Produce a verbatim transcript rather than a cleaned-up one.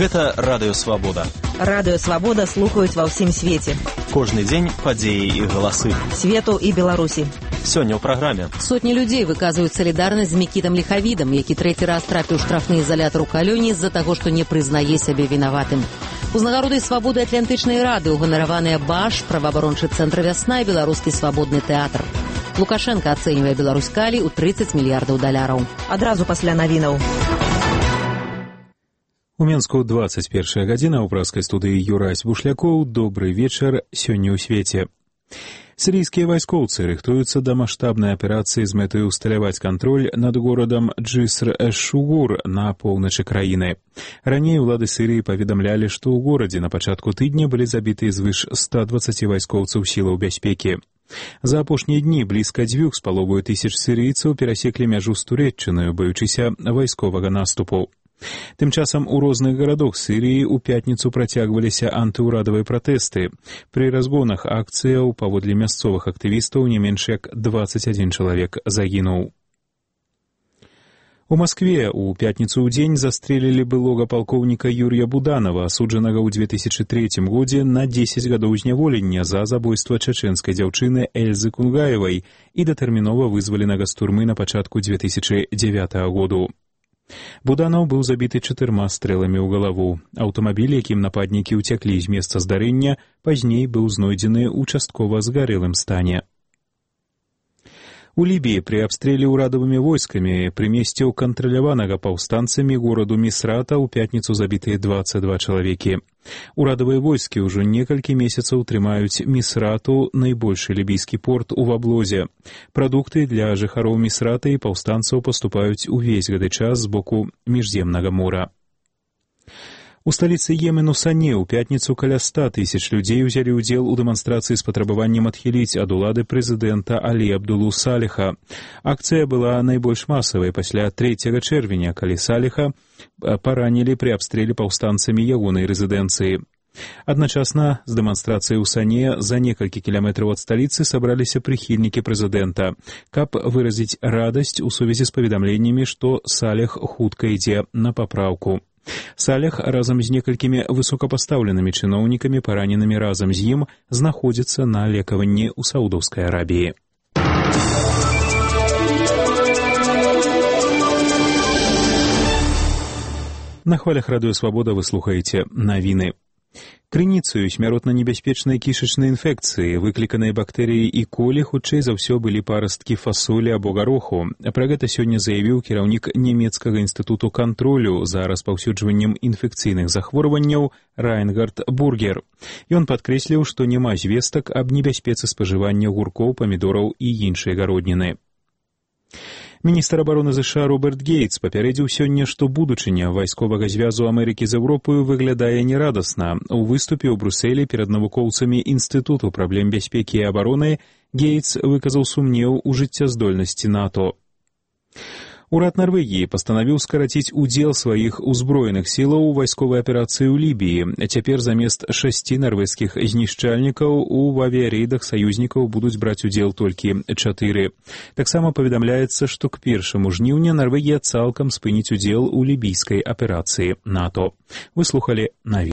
Гэта Радыё Свабода. Радыё Свабода слухаюць ва ўсім свеце. Кожны дзень падзеі і галасы. Свету і Беларусі. Сёння ў праграме. Сотні людзей выказваюць салідарнасць з Мікітам Ліхавідам, які трэці раз трапіў у штрафны ізалятар у Калёні з-за таго, што не прызнае сябе вінаватым. Узнагародай свабоды Атлантычнай рады ўганараваныя БАШ, праваабарончы цэнтр «Вясна» і беларускі свабодны тэатр. Лукашенко ацэньвае Беларусь калі ў трыццаць мільярдаў даляраў. Адразу пасля навінаў. У Менску двадцать первая гадзіна, ў пражскай студыі Юрась Бушлякоў. Добры вечар сёння ў свеце. Сірійскія вайскоўцы рыхтуюцца да маштабнай аперацыі з мэтай усталяваць кантроль над горадам Джиср-эш-Шугур на поўначы краіны. Раней улады Сірыі паведамлялі, што ў горадзе на пачатку тыдня былі забіты звыш ста дваццаці вайскоўцаў сілаў бяспекі. За апошнія дні блізка дзвюх з паловаю тысяч сірыйцаў перасеклі мяжу з Турэччынаю, баючыся вайсковага наступу. Тым часам у розных гарадах Сірыі ў пятніцу працягваліся антыўрадавыя пратэсты. Пры разгонах акцыяў паводле мясцовых актывістаў не менш як дваццаць адзін чалавек загінуў. У Маскве ў пятніцу ў дзень застрелілі былога палкоўніка Юрія Буданова, асуджанага ў две тысячы трэцім годзе на дзесяць гадоў зняволення за забойства чачэнскай дзяўчыны Эльзы Кунгаевай і датэрмінова вызваленага з турмы на пачатку две тысячы дзявятага году. Буданаў быў забіты чатырма стрэламі ў галаву. Аўтамабіль, якім нападнікі ўцяклі з месца здарэння, пазней быў знойдзены ў часткова згарэлым стане. У Лібіі пры абстрэле ўрадавымі войскамі пры месце ў кантраляванага паўстанцамі гораду Місрата ў пятніцу забітыя дваццаць два чалавекі. Урадавыя войскі ўжо некалькі месяцаў трымаюць Місрату, найбольшы лібійскі порт у Ваблозе. Прадукты для жыхароў Місрата і паўстанцаў паступаюць увесь гэты час з боку міжземнага мора. У сталіцы Йемену Сане ў пятніцу каля ста тысяч людзей узялі ўдзел у дэманстрацыі з патрабаваннем адхіліць ад улады прэзідэнта Алі Абдулу Саліха. Акцыя была найбольш масавай пасля трэцяга чэрвеня, калі Саліха паранілі пры абстрэле паўстанцамі ягонай рэзідэнцыі. Адначасна з дэманстрацыяй у Сане за некалькі кіламетраў ад сталіцы сабраліся прыхільнікі прэзідэнта, каб выразіць радасць у сувязі з паведамленнямі, што Саліх хутка ідзе на папраўку. Саліх разам з некалькімі высокапастаўленымі чыноўнікамі, параненымі разам з ім, знаходзіцца на лекаванні ў Саудаўскай Арабіі. На хвалях Радыё Свабода вы слухаеце навіны. Крыніцаю смяротна небяспечнай кішачнай інфекцыі, выкліканай бактэрыяй і колі, хутчэй за ўсё былі парасткі фасолі або гароху. Пра гэта сёння заявіў кіраўнік нямецкага інстытуту кантролю за распаўсюджваннем інфекцыйных захворванняў Райнгард Бургер. Ён падкрэсліў, што няма звестак аб небяспецы спажывання гуркоў, памідораў і іншай гародніны. Міністр абароны ЗША Роберт Гейтс папярэдзіў сёння, што будучыня вайсковага звязу Амерыкі з Еўропаю выглядае нерадасна. У выступе ў Брусэлі перад навукоўцамі Інстытуту праблем бяспекі і абароны Гейтс выказаў сумнеў у жыццяздольнасці НАТО. Урад Нарвегіі пастанавіў скараціць удзел сваіх узброеных сілаў у вайсковай аперацыі ў Лібіі. Цяпер замест шасці нарвежскіх знішчальнікаў у авіярэйдах саюзнікаў будуць браць удзел толькі чатыры. Таксама паведамляецца, што к першаму жніўня Нарвегія цалкам спыніць удзел у лібійскай аперацыі НАТО. Вы слухалі навіны.